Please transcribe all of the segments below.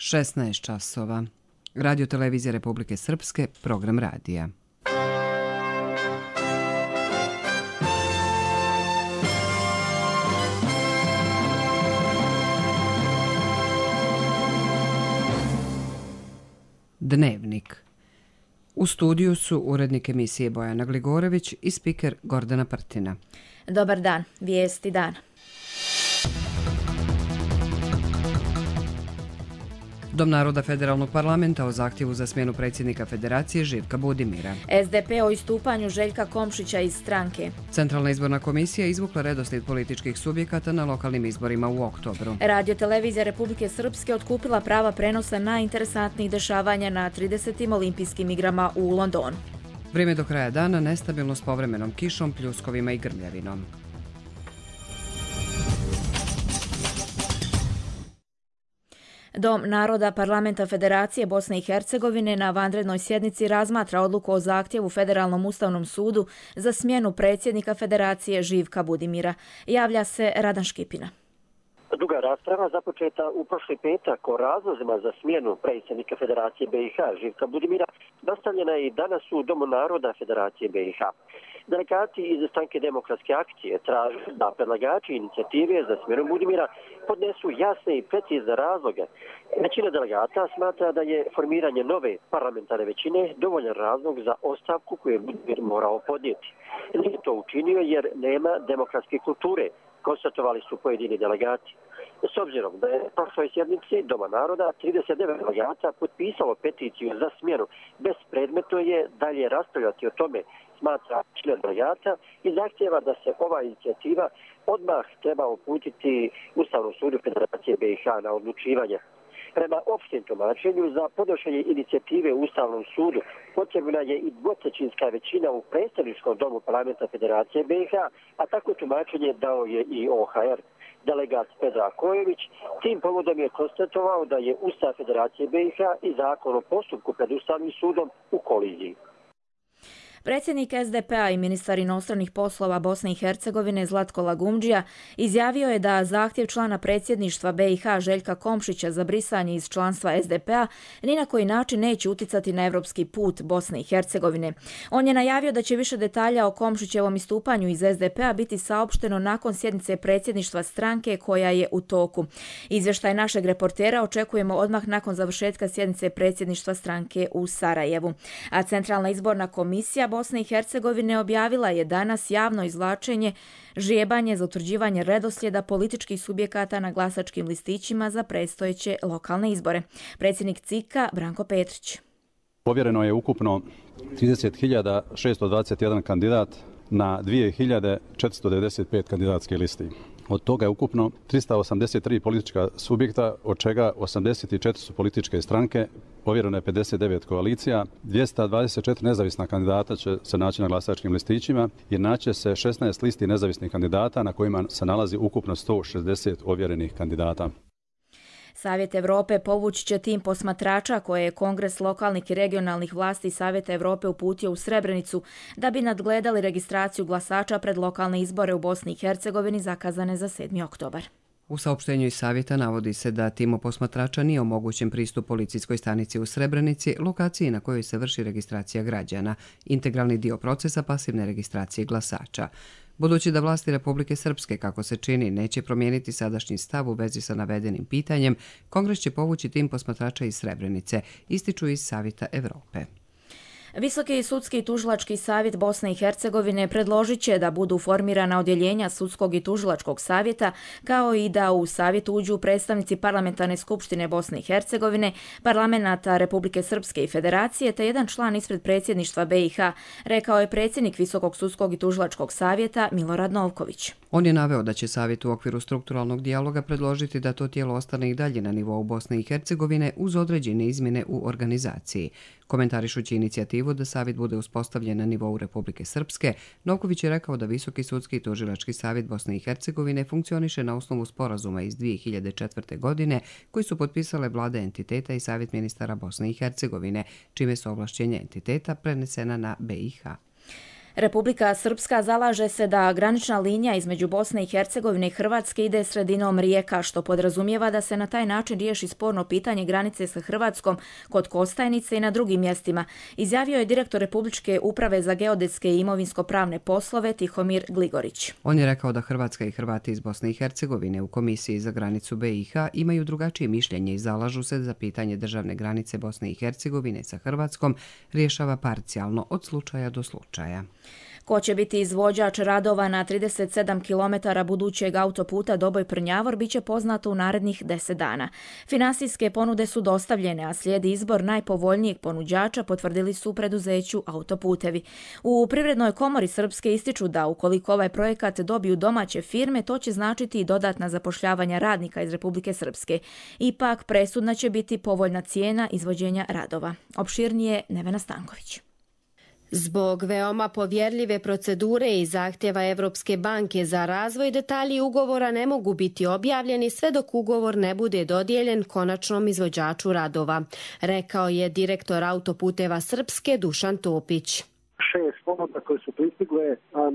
16 časova. Radio televizija Republike Srpske, program radija. Dnevnik. U studiju su urednik emisije Bojana Gligorević i spiker Gordana Prtina. Dobar dan, vijesti dana. Dom naroda Federalnog parlamenta o zahtjevu za smjenu predsjednika Federacije Živka Budimira. SDP o istupanju Željka Komšića iz stranke. Centralna izborna komisija izvukla redoslijed političkih subjekata na lokalnim izborima u oktobru. Radio televizija Republike Srpske otkupila prava prenosa najinteresantnijih dešavanja na 30. olimpijskim igrama u Londonu. Vrijeme do kraja dana nestabilno s povremenom kišom, pljuskovima i grmljavinom. Dom naroda Parlamenta Federacije Bosne i Hercegovine na vanrednoj sjednici razmatra odluku o zahtjevu Federalnom ustavnom sudu za smjenu predsjednika Federacije Živka Budimira. Javlja se Radan Škipina. Duga rasprava započeta u prošli petak o razlozima za smjenu predsjednika Federacije BiH Živka Budimira nastavljena je i danas u Domu naroda Federacije BiH. Delegati iz Stranke demokratske akcije traže da predlagači inicijative za smjenu Budimira podnesu jasne i precizne razloge. Većina delegata smatra da je formiranje nove parlamentarne većine dovoljan razlog za ostavku koju je Budimir morao podnijeti. Nije to učinio jer nema demokratske kulture, konstatovali su pojedini delegati. S obzirom da je na prošloj sjednici Doma naroda 39 delegata potpisalo peticiju za smjenu, bespredmetno je dalje raspravljati o tome, smatra većina delegata i zahtjeva da se ova inicijativa odmah treba uputiti Ustavnom sudu Federacije BiH na odlučivanje. Prema opštem tumačenju za podnošenje inicijative u Ustavnom sudu potrebna je i dvotrećinska većina u predstavničkom domu Parlamenta Federacije BiH, a tako tumačenje dao je i OHR. Delegat Pedra Kojević tim povodom je konstatovao da je Ustav Federacije BiH i zakon o postupku pred Ustavnim sudom u koliziji. Predsjednik SDP-a i ministar inostranih poslova Bosne i Hercegovine Zlatko Lagumdžija izjavio je da zahtjev člana predsjedništva BiH Željka Komšića za brisanje iz članstva SDP-a ni na koji način neće uticati na evropski put Bosne i Hercegovine. On je najavio da će više detalja o Komšićevom istupanju iz SDP-a biti saopšteno nakon sjednice predsjedništva stranke koja je u toku. Izvještaj našeg reportera očekujemo odmah nakon završetka sjednice predsjedništva stranke u Sarajevu. A Centralna izborna komisija Bosne i Hercegovine objavila je danas javno izvlačenje žjebanje za utvrđivanje redoslijeda političkih subjekata na glasačkim listićima za predstojeće lokalne izbore. Predsjednik CIK-a Branko Petrić. Ovjereno je ukupno 30.621 kandidat na 2.495 kandidatske listi. Od toga je ukupno 383 politička subjekta, od čega 84 su političke stranke, ovjereno je 59 koalicija, 224 nezavisna kandidata će se naći na glasačkim listićima i naće se 16 listi nezavisnih kandidata na kojima se nalazi ukupno 160 ovjerenih kandidata. Savjet Europe povući će tim posmatrača koje je Kongres lokalnih i regionalnih vlasti Savjeta Europe uputio u Srebrenicu da bi nadgledali registraciju glasača pred lokalne izbore u Bosni i Hercegovini zakazane za 7. oktobar. U saopštenju iz savjeta navodi se da timu posmatrača nije omogućen pristup policijskoj stanici u Srebrenici, lokaciji na kojoj se vrši registracija građana, integralni dio procesa pasivne registracije glasača. Budući da vlasti Republike Srpske, kako se čini, neće promijeniti sadašnji stav u vezi sa navedenim pitanjem, Kongres će povući tim posmatrača iz Srebrenice, ističu iz Savjeta Europe. Visoki sudski i tužilački savjet Bosne i Hercegovine predložit će da budu formirana odjeljenja sudskog i tužilačkog savjeta, kao i da u savjet uđu predstavnici Parlamentarne skupštine Bosne i Hercegovine, parlamenata Republike Srpske i Federacije, te jedan član ispred predsjedništva BiH, rekao je predsjednik Visokog sudskog i tužilačkog savjeta Milorad Novković. On je naveo da će savjet u okviru strukturalnog dijaloga predložiti da to tijelo ostane i dalje na nivou Bosne i Hercegovine uz određene izmjene u organizaciji. Komentarišući inicijativu da savjet bude uspostavljen na nivou Republike Srpske, Novković je rekao da Visoki sudski i tužilački savjet Bosne i Hercegovine funkcioniše na osnovu sporazuma iz 2004. godine koji su potpisale vlade entiteta i savjet ministara Bosne i Hercegovine, čime su ovlašćenja entiteta prenesena na BiH. Republika Srpska zalaže se da granična linija između Bosne i Hercegovine i Hrvatske ide sredinom rijeka, što podrazumijeva da se na taj način riješi sporno pitanje granice sa Hrvatskom kod Kostajnice i na drugim mjestima, izjavio je direktor Republičke uprave za geodetske i imovinsko-pravne poslove Tihomir Gligorić. On je rekao da Hrvatska i Hrvati iz Bosne i Hercegovine u Komisiji za granicu BiH imaju drugačije mišljenje i zalažu se za pitanje državne granice Bosne i Hercegovine sa Hrvatskom rješava parcijalno od slučaja do slučaja. Ko će biti izvođač radova na 37 km budućeg autoputa Doboj-Prnjavor bit će poznato u narednih 10 dana. Finansijske ponude su dostavljene, a slijedi izbor najpovoljnijeg ponuđača, potvrdili su u preduzeću Autoputevi. U Privrednoj komori Srpske ističu da ukoliko ovaj projekat dobiju domaće firme, to će značiti i dodatna zapošljavanja radnika iz Republike Srpske. Ipak, presudna će biti povoljna cijena izvođenja radova. Opširnije Nevena Stanković. Zbog veoma povjerljive procedure i zahtjeva Evropske banke za razvoj, detalji ugovora ne mogu biti objavljeni sve dok ugovor ne bude dodijeljen konačnom izvođaču radova, rekao je direktor Autoputeva Srpske Dušan Topić. 6 ponuda koje su pristigle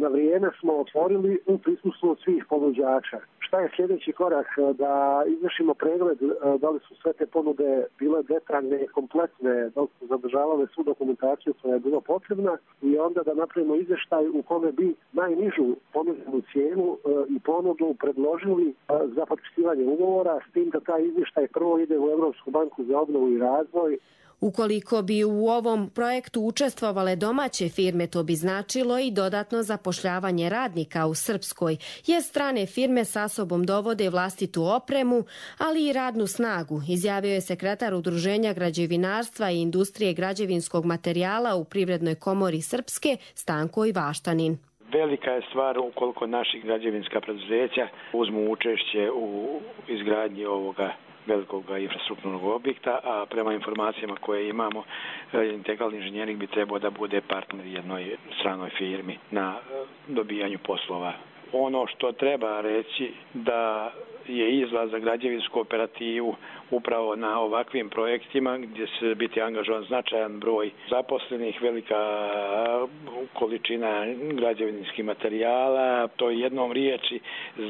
na vrijeme smo otvorili u prisustvu svih ponuđača. Šta je sljedeći korak? Da izvršimo pregled da li su sve te ponude bile detaljne i kompletne, da li su zadržavale svu dokumentaciju koja je bila potrebna i onda da napravimo izvještaj u kome bi najnižu ponuđenu cijenu i ponudu predložili za potpisivanje ugovora, s tim da taj izvještaj prvo ide u Evropsku banku za obnovu i razvoj. Ukoliko bi u ovom projektu učestvovale domaće firme, to bi značilo i dodatno zapošljavanje radnika u Srpskoj, jer strane firme sa sobom dovode vlastitu opremu, ali i radnu snagu, izjavio je sekretar Udruženja građevinarstva i industrije građevinskog materijala u Privrednoj komori Srpske Stanko Ivaštanin. Velika je stvar ukoliko naši građevinska preduzeća uzmu učešće u izgradnji ovoga velikog infrastrukturnog objekta, a prema informacijama koje imamo, integralni inženjering bi trebao da bude partner jednoj stranoj firmi na dobijanju poslova. Ono što treba reći da je izlaz za građevinsku operativu upravo na ovakvim projektima gdje će biti angažovan značajan broj zaposlenih, velika količina građevinskih materijala. To jednom riječi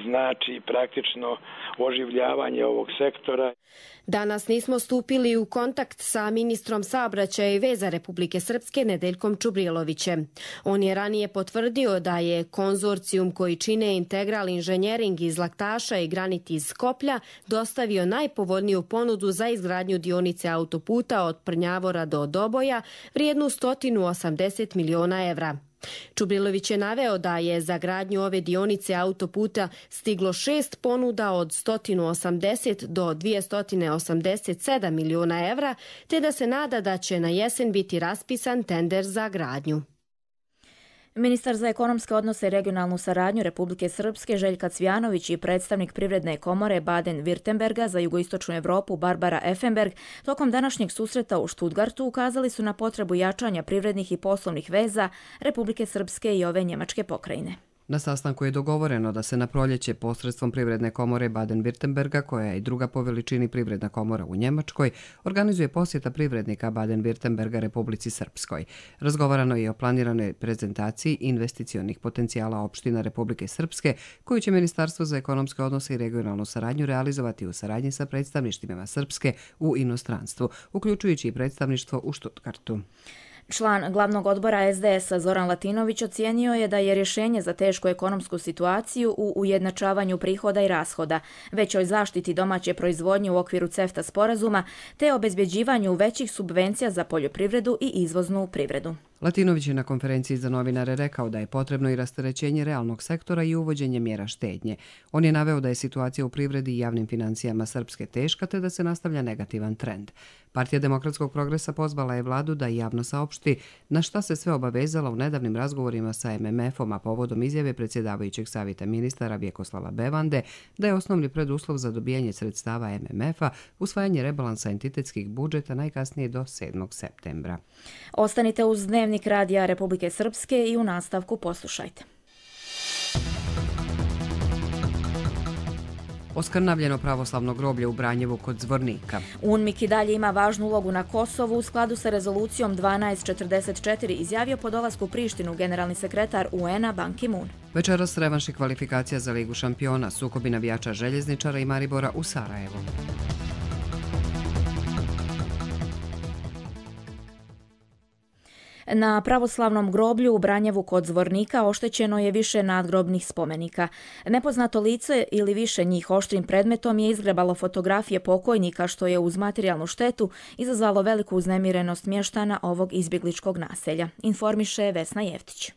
znači praktično oživljavanje ovog sektora. Danas nismo stupili u kontakt sa ministrom saobraćaja i veza Republike Srpske Nedeljkom Čubrilovićem. On je ranije potvrdio da je konzorcijum koji čine Integral inženjering iz Laktaša i Granit iz Skoplja dostavio najpovoljniju ponudu za izgradnju dionice autoputa od Prnjavora do Doboja vrijednu 180 miliona evra. Čubrilović je naveo da je za gradnju ove dionice autoputa stiglo 6 ponuda od 180 do 287 miliona evra, te da se nada da će na jesen biti raspisan tender za gradnju. Ministar za ekonomske odnose i regionalnu saradnju Republike Srpske Željka Cvjanović i predstavnik Privredne komore Baden-Württemberga za jugoistočnu Europu Barbara Effenberg tokom današnjeg susreta u Stuttgartu ukazali su na potrebu jačanja privrednih i poslovnih veza Republike Srpske i ove njemačke pokrajine. Na sastanku je dogovoreno da se na proljeće posredstvom Privredne komore Baden-Württemberga, koja je i druga po veličini privredna komora u Njemačkoj, organizuje posjeta privrednika Baden-Württemberga Republici Srpskoj. Razgovarano je o planiranoj prezentaciji investicionih potencijala opština Republike Srpske, koju će Ministarstvo za ekonomske odnose i regionalnu saradnju realizovati u saradnji sa predstavništvima Srpske u inostranstvu, uključujući i predstavništvo u Stuttgartu. Član glavnog odbora SDS-a Zoran Latinović ocijenio je da je rješenje za tešku ekonomsku situaciju u ujednačavanju prihoda i rashoda, većoj zaštiti domaće proizvodnje u okviru CEFTA sporazuma, te obezbjeđivanju većih subvencija za poljoprivredu i izvoznu privredu. Latinović je na konferenciji za novinare rekao da je potrebno i rasterećenje realnog sektora i uvođenje mjera štednje. On je naveo da je situacija u privredi i javnim financijama Srpske teška te da se nastavlja negativan trend. Partija demokratskog progresa pozvala je vladu da javno saopšti na šta se sve obavezala u nedavnim razgovorima sa MMF-om, a povodom izjave predsjedavajućeg savjeta ministara Vjekoslava Bevande da je osnovni preduslov za dobijanje sredstava MMF-a usvajanje rebalansa entitetskih budžeta najkasnije do 7. septembra. Ostanite uz Dnevnik radija Republike Srpske i u nastavku poslušajte. Oskrnavljeno pravoslavno groblje u Branjevu kod Zvornika. UNMIK i dalje ima važnu ulogu na Kosovu u skladu sa rezolucijom 1244, izjavio po dolasku u Prištinu generalni sekretar UN-a Ban Ki-moon. Večeras revanšnih kvalifikacija za Ligu šampiona, sukobi navijača Željezničara i Maribora u Sarajevu. Na pravoslavnom groblju u Branjevu kod Zvornika oštećeno je više nadgrobnih spomenika. Nepoznato lice ili više njih oštrim predmetom je izgrebalo fotografije pokojnika, što je uz materijalnu štetu izazvalo veliku uznemirenost mještana ovog izbjegličkog naselja, informiše Vesna Jeftić.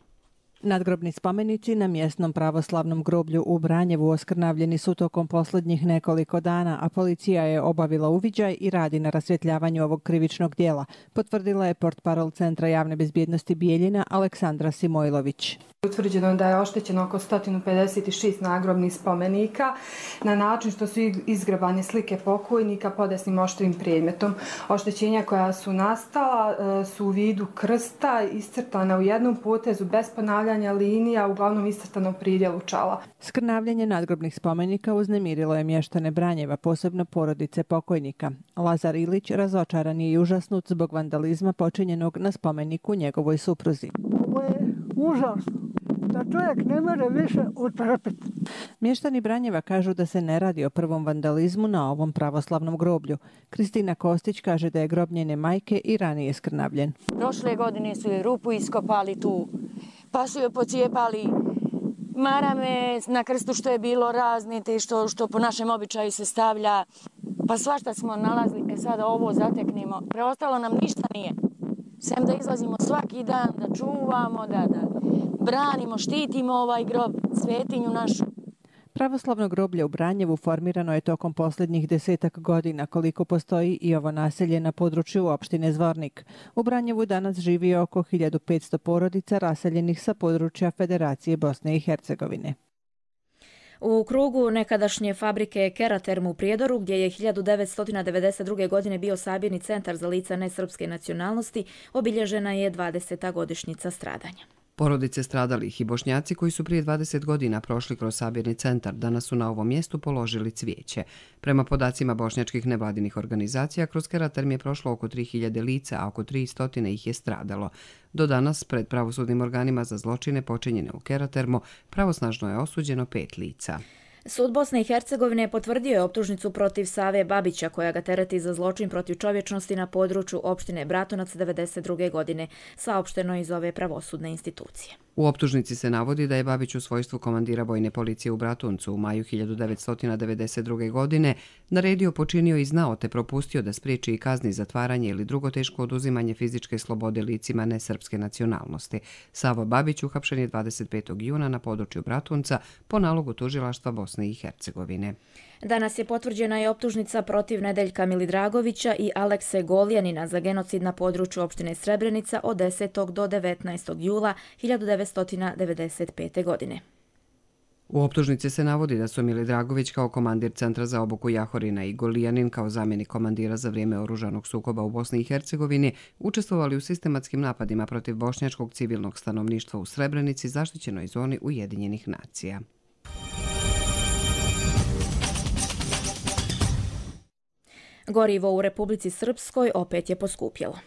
Nadgrobni spomenici na mjesnom pravoslavnom groblju u Branjevu oskrnavljeni su tokom posljednjih nekoliko dana, a policija je obavila uviđaj i radi na rasvjetljavanju ovog krivičnog dijela, potvrdila je portparol Centra javne bezbjednosti Bijeljina Aleksandra Simojlović. Utvrđeno da je oštećeno oko 156 nagrobnih spomenika na način što su izgrebane slike pokojnika podesnim oštrim predmetom. Oštećenja koja su nastala su u vidu krsta iscrtana u jednom potezu bez ponavljanja linija, uglavnom iscrtano pridjelu čala. Skrnavljanje nadgrobnih spomenika uznemirilo je mještane Branjeva, posebno porodice pokojnika. Lazar Ilić razočaran je i užasnut zbog vandalizma počinjenog na spomeniku njegovoj supruzi. Ovo je užasno, da čovjek ne može više utrpiti. Mještani Branjeva kažu da se ne radi o prvom vandalizmu na ovom pravoslavnom groblju. Kristina Kostić kaže da je grob njene majke i ranije skrnavljen. Prošle godine su je rupu iskopali tu, pa su je pocijepali marame na krstu što je bilo raznite, što po našem običaju se stavlja, pa svašta smo nalazili, sada ovo zateknemo. Preostalo nam ništa nije. Sem da izlazimo svaki dan, da čuvamo, da branimo, štitimo ovaj grob, svetinju našu. Pravoslavno groblje u Branjevu formirano je tokom posljednjih 10 godina, koliko postoji i ovo naselje na području opštine Zvornik. U Branjevu danas živi oko 1500 porodica raseljenih sa područja Federacije Bosne i Hercegovine. U krugu nekadašnje fabrike Keraterm u Prijedoru, gdje je 1992. godine bio sabirni centar za lica nesrpske nacionalnosti, obilježena je 20. godišnjica stradanja. Porodice stradalih i Bošnjaci koji su prije 20 godina prošli kroz sabirni centar danas su na ovom mjestu položili cvijeće. Prema podacima bošnjačkih nevladinih organizacija, kroz Keraterm je prošlo oko 3000 lica, a oko 300 ih je stradalo. Do danas, pred pravosudnim organima za zločine počinjene u Keratermu, pravosnažno je osuđeno 5 lica. Sud Bosne i Hercegovine potvrdio je optužnicu protiv Save Babića, koja ga tereti za zločin protiv čovječnosti na području opštine Bratunac 1992. godine, saopšteno iz ove pravosudne institucije. U optužnici se navodi da je Babić u svojstvu komandira vojne policije u Bratuncu u maju 1992. godine naredio, počinio i znao te propustio da spriječi i kazni zatvaranje ili drugo teško oduzimanje fizičke slobode licima nesrpske nacionalnosti. Savo Babić uhapšen je 25. juna na području Bratunca po nalogu tužilaštva Bosne i Hercegovine. Danas je potvrđena i optužnica protiv Nedeljka Milidragovića i Alekse Goljanina za genocid na području opštine Srebrenica od 10. do 19. jula 1995. godine. U optužnici se navodi da su Milidragović kao komandir Centra za obuku Jahorina i Golijanin kao zamjenik komandira za vrijeme oružanog sukoba u Bosni i Hercegovini učestvovali u sistematskim napadima protiv bošnjačkog civilnog stanovništva u Srebrenici, zaštićenoj zoni Ujedinjenih nacija. Gorivo u Republici Srpskoj opet je poskupjelo.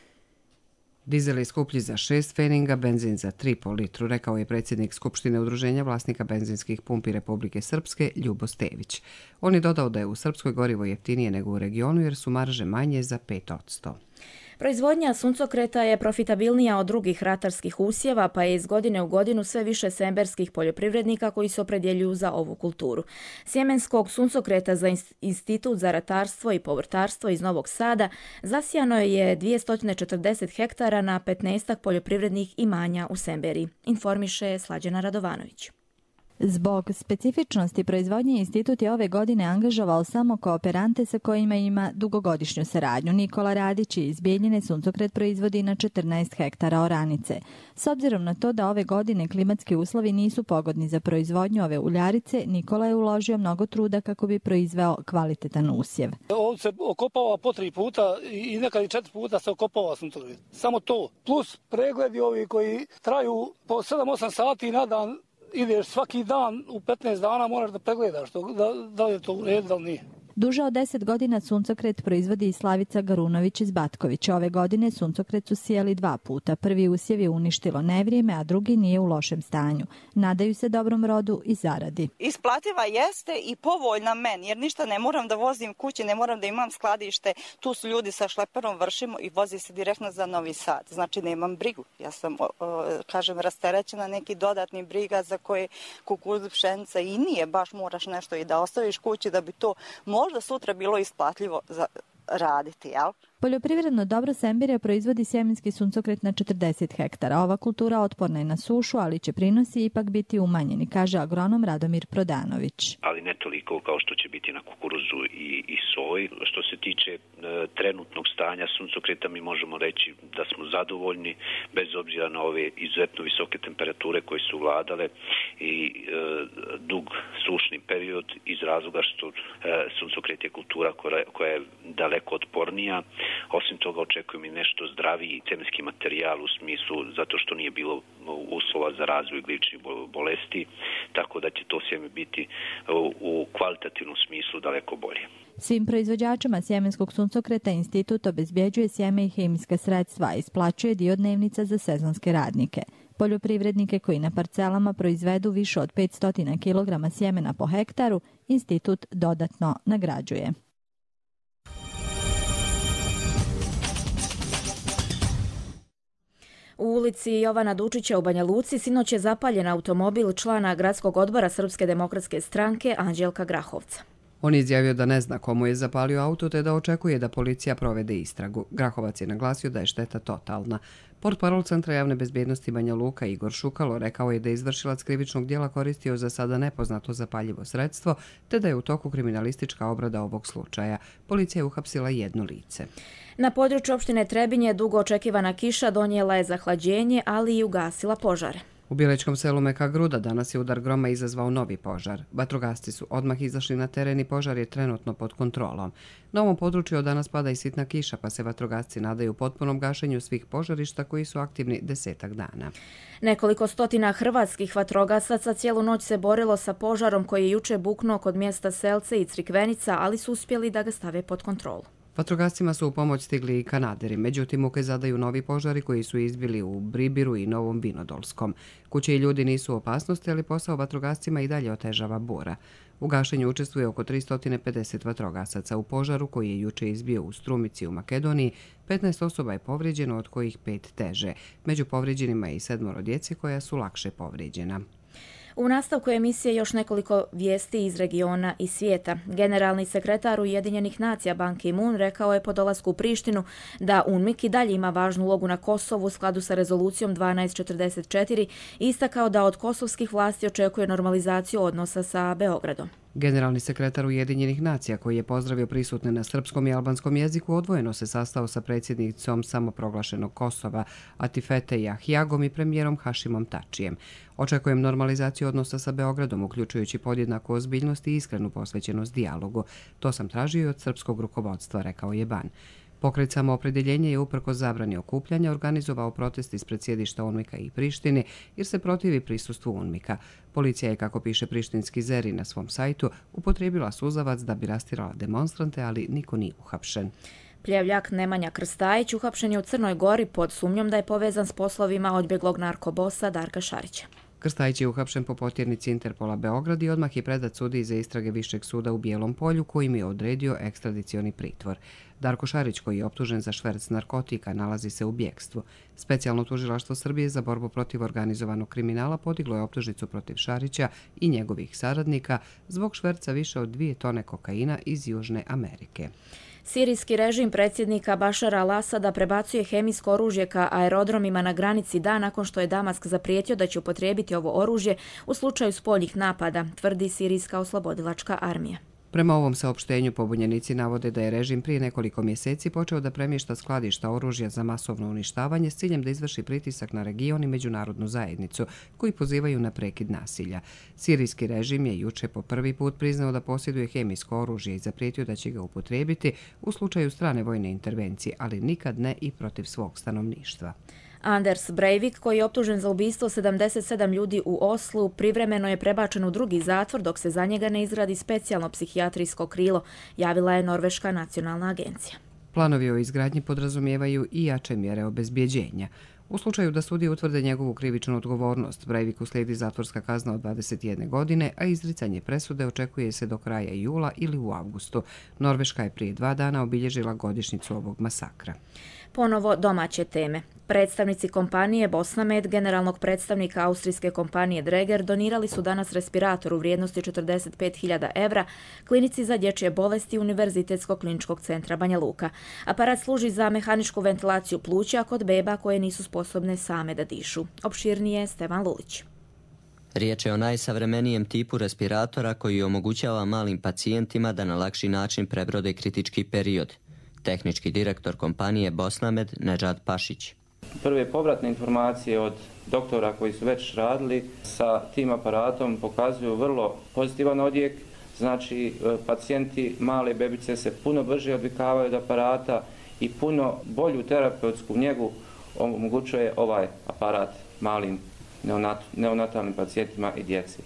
Dizel je skuplji za 6 pfeninga, benzin za 3 po litru, rekao je predsjednik Skupštine Udruženja vlasnika benzinskih pumpi Republike Srpske, Ljubo Stević. On je dodao da je u Srpskoj gorivo jeftinije nego u regionu jer su marže manje za 5%. Proizvodnja suncokreta je profitabilnija od drugih ratarskih usjeva, pa je iz godine u godinu sve više semberskih poljoprivrednika koji se opredjeljuju za ovu kulturu. Sjemenskog suncokreta za Institut za ratarstvo i povrtarstvo iz Novog Sada zasijano je 240 hektara na 15 poljoprivrednih imanja u Semberiji, informiše Slađana Radovanović. Zbog specifičnosti proizvodnje institut je ove godine angažovao samo kooperante sa kojima ima dugogodišnju saradnju. Nikola Radić iz Bijeljine suncokret proizvodi na 14 hektara oranice. S obzirom na to da ove godine klimatski uslovi nisu pogodni za proizvodnju ove uljarice, Nikola je uložio mnogo truda kako bi proizveo kvalitetan usjev. On se okopava po 3 puta i nekad i 4 puta se okopava suncokret. Samo to. Plus pregledi ovi koji traju po 7-8 sati na dan ideš svaki dan u 15 dana moraš da pregledaš da li je to u redu, da li nije. Duže od 10 godina suncokret proizvodi i Slavica Garunović iz Batkovića. Ove godine suncokret su sijali 2 puta. Prvi usjev je uništilo nevrijeme, a drugi nije u lošem stanju. Nadaju se dobrom rodu i zaradi. Isplativa jeste i povoljna meni, jer ništa ne moram da vozim kući, ne moram da imam skladište. Tu su ljudi sa šleperom, vršimo i vozi se direktno za Novi Sad. Znači nemam brigu. Ja sam, rasterećena neki dodatni briga za koje kukuruz, pšenica i nije baš moraš nešto i da ostaviš kući da bi to možda sutra bilo isplatljivo za raditi, jel? Poljoprivredno dobro Sembirija proizvodi sjemenski suncokret na 40 hektara. Ova kultura otporna je na sušu, ali će prinosi ipak biti umanjeni, kaže agronom Radomir Prodanović. Ali ne toliko kao što će biti na kukuruzu i soji. Što se tiče trenutnog stanja suncokreta, mi možemo reći da smo zadovoljni, bez obzira na ove izuzetno visoke temperature koje su vladale i dug sušni period, iz razloga što suncokret je kultura koja je daleko otpornija. Osim toga očekujem i nešto zdraviji semenski materijal u smislu zato što nije bilo uslova za razvoj glivičnih bolesti, tako da će to sjeme biti u kvalitativnom smislu daleko bolje. Svim proizvođačima sjemenskog suncokreta institut obezbjeđuje sjeme i hemijska sredstva, isplaćuje dio dnevnica za sezonske radnike. Poljoprivrednike koji na parcelama proizvedu više od 500 kg sjemena po hektaru, institut dodatno nagrađuje. U ulici Jovana Dučića u Banja Luci sinoć je zapaljen automobil člana gradskog odbora Srpske demokratske stranke Anđelka Grahovca. On je izjavio da ne zna komu je zapalio auto te da očekuje da policija provede istragu. Grahovac je naglasio da je šteta totalna. Portparol Centra javne bezbjednosti Banja Luka Igor Šukalo rekao je da je izvršilac krivičnog djela koristio za sada nepoznato zapaljivo sredstvo te da je u toku kriminalistička obrada ovog slučaja. Policija je uhapsila 1 lice. Na području opštine Trebinje dugo očekivana kiša donijela je zahlađenje, ali i ugasila požare. U Bjeličkom selu Meka Gruda danas je udar groma izazvao novi požar. Vatrogasci su odmah izašli na teren i požar je trenutno pod kontrolom. Na ovom području od danas pada i sitna kiša, pa se vatrogasci nadaju potpunom gašenju svih požarišta koji su aktivni 10 dana. Nekoliko stotina hrvatskih vatrogasaca cijelu noć se borilo sa požarom koji je juče buknuo kod mjesta Selce i Crikvenica, ali su uspjeli da ga stave pod kontrolu. Vatrogascima su u pomoć stigli i Kanaderi, međutim muke zadaju novi požari koji su izbili u Bribiru i Novom Vinodolskom. Kuće i ljudi nisu u opasnosti, ali posao vatrogascima i dalje otežava bura. U gašenju učestvuje oko 350 vatrogasaca. U požaru koji je juče izbio u Strumici u Makedoniji, 15 osoba je povrijeđeno, od kojih 5 teže. Među povrijeđenima je i 7 djece koja su lakše povrijeđena. U nastavku emisije još nekoliko vijesti iz regiona i svijeta. Generalni sekretar Ujedinjenih nacija Ban Ki-moon rekao je po dolasku u Prištinu da UNMIK i dalje ima važnu ulogu na Kosovu u skladu sa rezolucijom 1244 i istakao da od kosovskih vlasti očekuje normalizaciju odnosa sa Beogradom. Generalni sekretar Ujedinjenih nacija, koji je pozdravio prisutne na srpskom i albanskom jeziku, odvojeno se sastao sa predsjednicom samoproglašenog Kosova Atifete Jahjagom i premijerom Hašimom Tačijem. Očekujem normalizaciju odnosa sa Beogradom, uključujući podjednaku ozbiljnost i iskrenu posvećenost dijalogu. To sam tražio i od srpskog rukovodstva, rekao je Ban. Pokret Samoopredjeljenje je uprkos zabrani okupljanja organizovao protest ispred sjedišta UNMIK-a i Prištine jer se protivi prisustvu UNMIK-a. Policija je, kako piše prištinski Zeri na svom sajtu, upotrijebila suzavac da bi rastirala demonstrante, ali niko nije uhapšen. Pljevljak Nemanja Krstajić uhapšen je u Crnoj Gori pod sumnjom da je povezan s poslovima odbjeglog narkobosa Darka Šarića. Krstajić je uhapšen po potjernici Interpola Beograd i odmah je predat sudiji za istrage Višeg suda u Bijelom Polju, kojim je odredio ekstradicioni pritvor. Darko Šarić, koji je optužen za šverc narkotika, nalazi se u bjegstvu. Specijalno tužilaštvo Srbije za borbu protiv organizovanog kriminala podiglo je optužnicu protiv Šarića i njegovih saradnika zbog šverca više od 2 tone kokaina iz Južne Amerike. Sirijski režim predsjednika Bašara al-Asada prebacuje hemijsko oružje ka aerodromima na granici dan nakon što je Damask zaprijetio da će upotrijebiti ovo oružje u slučaju spoljnih napada, tvrdi Sirijska oslobodilačka armija. Prema ovom saopštenju pobunjenici navode da je režim prije nekoliko mjeseci počeo da premješta skladišta oružja za masovno uništavanje s ciljem da izvrši pritisak na region i međunarodnu zajednicu, koji pozivaju na prekid nasilja. Sirijski režim je juče po prvi put priznao da posjeduje hemijsko oružje i zaprijetio da će ga upotrijebiti u slučaju strane vojne intervencije, ali nikad ne i protiv svog stanovništva. Anders Breivik, koji je optužen za ubistvo 77 ljudi u Oslu, privremeno je prebačen u drugi zatvor dok se za njega ne izradi specijalno psihijatrijsko krilo, javila je Norveška nacionalna agencija. Planovi o izgradnji podrazumijevaju i jače mjere obezbjeđenja. U slučaju da sudije utvrde njegovu krivičnu odgovornost, Breiviku slijedi zatvorska kazna od 21 godine, a izricanje presude očekuje se do kraja jula ili u avgustu. Norveška je prije 2 dana obilježila godišnjicu ovog masakra. Ponovo domaće teme. Predstavnici kompanije Bosnamed, generalnog predstavnika austrijske kompanije Dräger, donirali su danas respirator u vrijednosti 45.000 evra klinici za dječje bolesti Univerzitetskog kliničkog centra Banja Luka. Aparat služi za mehaničku ventilaciju pluća kod beba koje nisu sposobne same da dišu. Opširnije Stevan Lulić. Riječ je o najsavremenijem tipu respiratora koji omogućava malim pacijentima da na lakši način prebrode kritički period. Tehnički direktor kompanije Bosnamed Nedžad Pašić. Prve povratne informacije od doktora koji su već radili sa tim aparatom pokazuju vrlo pozitivan odjek. Znači, pacijenti male bebice se puno brže odvikavaju od aparata i puno bolju terapeutsku njegu omogućuje ovaj aparat malim neonatalnim pacijentima i djeci.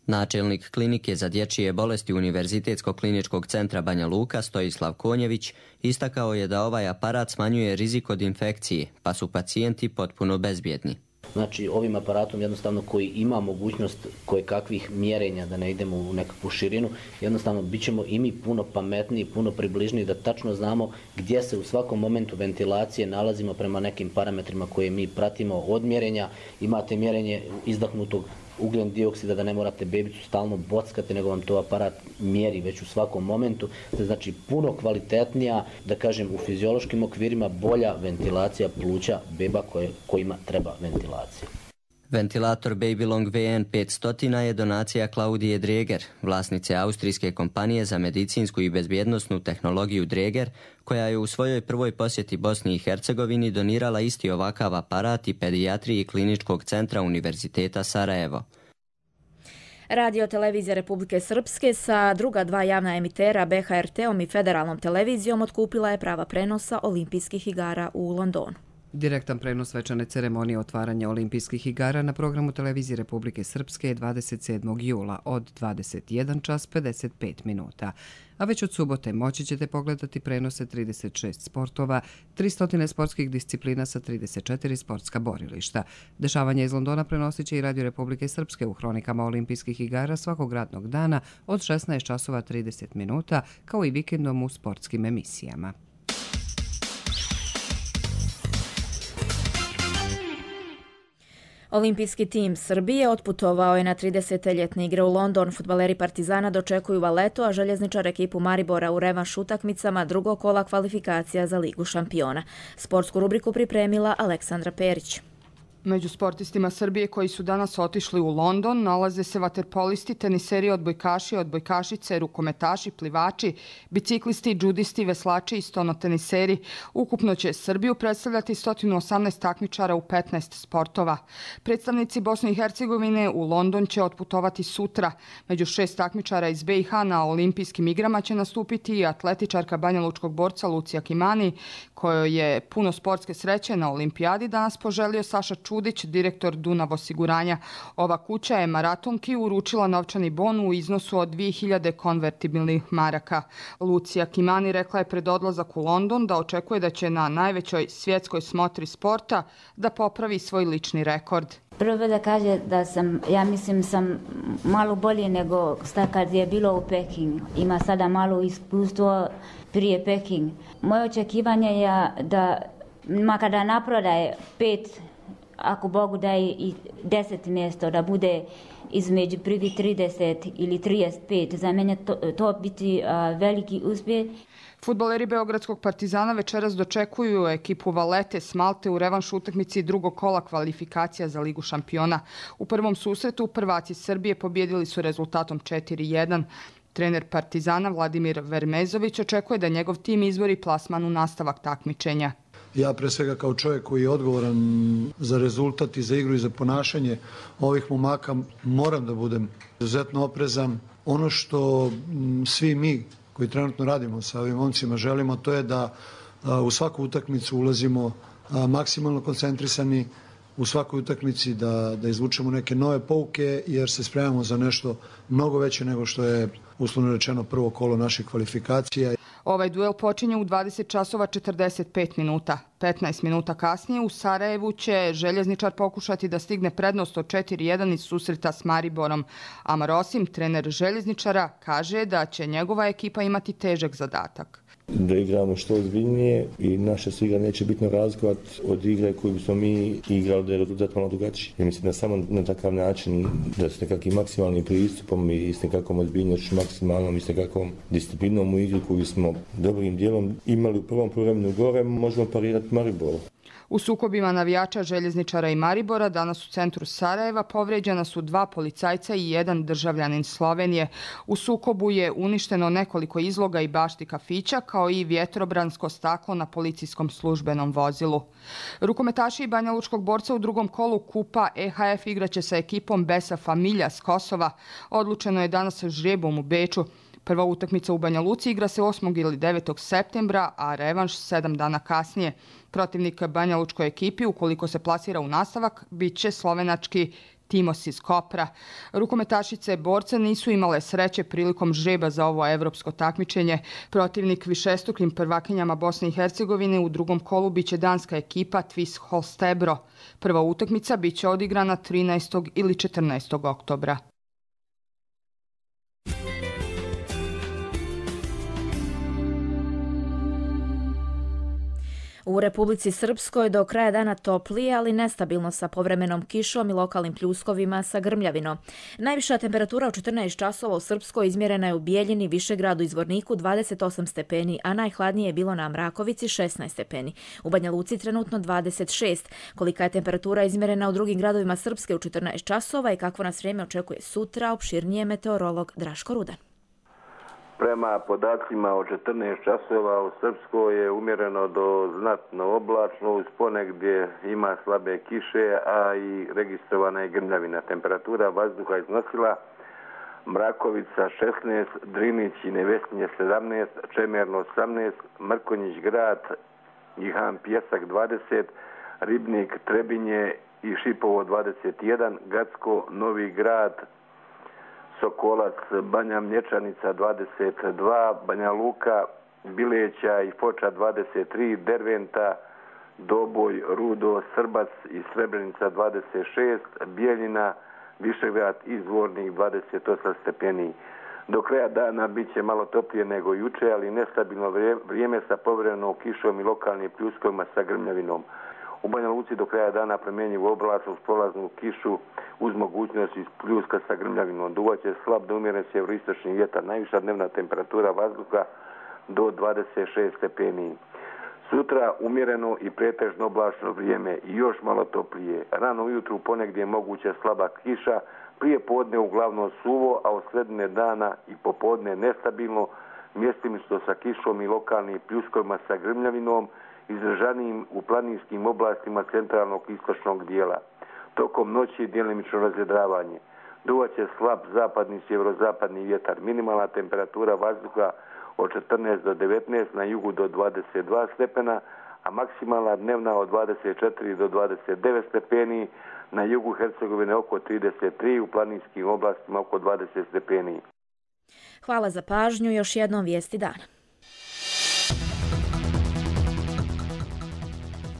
Načelnik klinike za dječje bolesti Univerzitetskog kliničkog centra Banja Luka Stojislav Konjević istakao je da ovaj aparat smanjuje rizik od infekcije, pa su pacijenti potpuno bezbjedni. Znači, ovim aparatom jednostavno koji ima mogućnost kojekakvih mjerenja, da ne idemo u nekakvu širinu, jednostavno bit ćemo i mi puno pametniji, puno približniji, da tačno znamo gdje se u svakom momentu ventilacije nalazimo prema nekim parametrima koje mi pratimo od mjerenja. Imate mjerenje izdahnutog ugljen dioksida, da ne morate bebicu stalno bockati, nego vam to aparat mjeri već u svakom momentu. Znači, puno kvalitetnija, da kažem, u fiziološkim okvirima bolja ventilacija pluća beba kojima treba ventilacija. Ventilator Babylong VN 500 je donacija Klaudije Dräger, vlasnice austrijske kompanije za medicinsku i bezbjednosnu tehnologiju Dräger, koja je u svojoj prvoj posjeti Bosni i Hercegovini donirala isti ovakav aparat i pedijatriji kliničkog centra Univerziteta Sarajevo. Radio televizija Republike Srpske sa druga 2 javna emitera BHRT-om i federalnom televizijom otkupila je prava prenosa Olimpijskih igara u Londonu. Direktan prenos svečane ceremonije otvaranja Olimpijskih igara na programu televizije Republike Srpske je 27. jula od 21:55 minuta. A već od subote moći ćete pogledati prenose 36 sportova, 300 sportskih disciplina sa 34 sportska borilišta. Dešavanje iz Londona prenosit će i Radio Republike Srpske u hronikama Olimpijskih igara svakog radnog dana od 16:30 minuta, kao i vikendom u sportskim emisijama. Olimpijski tim Srbije otputovao je na 30. ljetne igre u London. Fudbaleri Partizana dočekuju Valetu, a željezničar ekipu Maribora u revanš utakmicama drugog kola kvalifikacija za Ligu šampiona. Sportsku rubriku pripremila Aleksandra Perić. Među sportistima Srbije koji su danas otišli u London nalaze se vaterpolisti, teniseri, odbojkaši, odbojkašice, rukometaši, plivači, biciklisti, džudisti, veslači i stonoteniseri. Ukupno će Srbiju predstavljati 118 takmičara u 15 sportova. Predstavnici Bosne i Hercegovine u London će otputovati sutra. Među 6 takmičara iz BiH na olimpijskim igrama će nastupiti i atletičarka banjalučkog borca Lucija Kimani, kojoj je puno sportske sreće na olimpijadi danas poželio Saša Čudić, direktor Dunav osiguranja. Ova kuća je maratonki uručila novčani bon u iznosu od 2000 konvertibilnih maraka. Lucija Kimani rekla je pred odlazak u London da očekuje da će na najvećoj svjetskoj smotri sporta da popravi svoj lični rekord. Prvo da kaže da sam malo bolje nego kad je bilo u Pekingu. Ima sada malo iskustvo prije Peking. Moje očekivanje je da makada naprodaje 5, ako Bogu daje i 10 mjesto, da bude između prvi 30 ili 35. Za mene to biti veliki uspjeh. Fudbaleri Beogradskog Partizana večeras dočekuju ekipu Valete s Malte u revanš utakmici drugog kola kvalifikacija za Ligu šampiona. U prvom susretu prvaci Srbije pobjedili su rezultatom 4:1. Trener Partizana Vladimir Vermezović očekuje da njegov tim izbori plasman u nastavak takmičenja. Ja pre svega kao čovjek koji je odgovoran za rezultat i za igru i za ponašanje ovih momaka moram da budem izuzetno oprezan. Ono što svi mi koji trenutno radimo sa ovim momcima želimo, to je da u svaku utakmicu ulazimo maksimalno koncentrisani u svakoj utakmici, da izvučemo neke nove pouke, jer se spremamo za nešto mnogo veće nego što je uslovno rečeno prvo kolo naših kvalifikacija. Ovaj duel počinje u 20 časova 45 minuta. 15 minuta kasnije u Sarajevu će Željezničar pokušati da stigne prednost od 4-1 iz susreta s Mariborom. Amar Osim, trener Željezničara, kaže da će njegova ekipa imati težak zadatak. Da igramo što ozbiljnije i naša se igra neće bitno razlikovati od igre koju bismo mi igrali da je rezultat malo drugačiji. Ja mislim da samo na takav način, da s nekakvim maksimalnim pristupom i s nekakvom ozbiljnošću, maksimalnom i s nekakvom disciplinom u igri koju smo dobrim dijelom imali u prvom poluvremenu gore, možemo parirati Mariboru. U sukobima navijača Željezničara i Maribora danas u centru Sarajeva povrijeđena su 2 policajca i 1 državljanin Slovenije. U sukobu je uništeno nekoliko izloga i bašti kafića, kao i vjetrobransko staklo na policijskom službenom vozilu. Rukometaši Banjalučkog borca u drugom kolu kupa EHF igraće sa ekipom Besa Familja s Kosova. Odlučeno je danas žrebom u Beču. Prva utakmica u Banja Luci igra se 8. ili 9. septembra, a revanš 7 dana kasnije. Protivnik banjalučkoj ekipi, ukoliko se plasira u nastavak, bit će slovenački Timos iz Kopra. Rukometašice borca nisu imale sreće prilikom žreba za ovo evropsko takmičenje. Protivnik višestrukim prvakinjama Bosne i Hercegovine u drugom kolu biće danska ekipa Tvis Holstebro. Prva utakmica biće odigrana 13. ili 14. oktobra. U Republici Srpskoj do kraja dana toplije, ali nestabilno sa povremenom kišom i lokalnim pljuskovima sa grmljavinom. Najviša temperatura u 14 časova u Srpskoj izmjerena je u Bijeljini, Višegradu i Zvorniku 28 stepeni, a najhladnije je bilo na Mrakovici 16 stepeni. U Banja Luci trenutno 26. Kolika je temperatura izmjerena u drugim gradovima Srpske u 14 časova i kakvo nas vrijeme očekuje sutra, opširnije meteorolog Draško Rudan. Prema podacima od 14 časova u Srpskoj je umjereno do znatno oblačno, uz ponegdje ima slabe kiše, a i registrovana je grmljavina. Temperatura vazduha iznosila Mrakovica 16, Drinić i Nevestinje 17, Čemerno 18, Mrkonjić grad i Han Pjesak 20, Ribnik, Trebinje i Šipovo 21, Gacko, Novi grad, Sokolac, Banja Mlječanica 22, Banja Luka, Bileća i Foča 23, Derventa, Doboj, Rudo, Srbac i Srebrenica 26, Bijeljina, Višegrad i Zvornik 28 stepeni. Do kraja dana bit će malo toplije nego juče, ali nestabilno vrijeme sa povremenom kišom i lokalnim pljuskovima sa grmljavinom. U Banja Luci do kraja dana promjenjivu oblačno uz prolaznu kišu uz mogućnost pljuska sa grmljavinom. Duvaće slab do umjeren sjeveroistočni vjetar. Najviša dnevna temperatura vazduha do 26 stepeni. Sutra umjereno i pretežno oblačno vrijeme i još malo toplije. Rano ujutru ponegdje je moguća slaba kiša, prije podne uglavnom suvo, a od sredine dana i popodne nestabilno, mjestimično sa kišom i lokalnim pljuskovima sa grmljavinom, izražanijim u planinskim oblastima centralnog i istočnog dijela. Tokom noći djelimično razvedravanje. Duvaće slab zapadni sjeverozapadni vjetar. Minimalna temperatura vazduha od 14 do 19, na jugu do 22 stepena, a maksimalna dnevna od 24 do 29 stepeni, na jugu Hercegovine oko 33, u planinskim oblastima oko 20 stepeni. Hvala za pažnju, još jednom vijesti dana.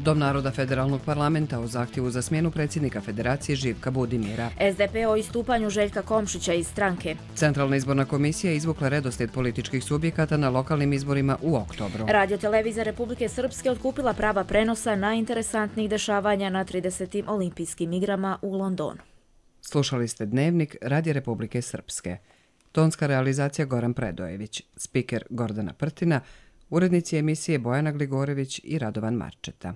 Dom naroda Federalnog parlamenta o zahtjevu za smjenu predsjednika Federacije Živka Budimira. SDP o istupanju Željka Komšića iz stranke. Centralna izborna komisija izvukla redoslijed političkih subjekata na lokalnim izborima u oktobru. Radiotelevizija Republike Srpske otkupila prava prenosa najinteresantnijih dešavanja na 30. olimpijskim igrama u Londonu. Slušali ste Dnevnik Radija Republike Srpske. Tonska realizacija Goran Predojević, spiker Gordana Prtina, urednici emisije Bojana Gligorević i Radovan Marčeta.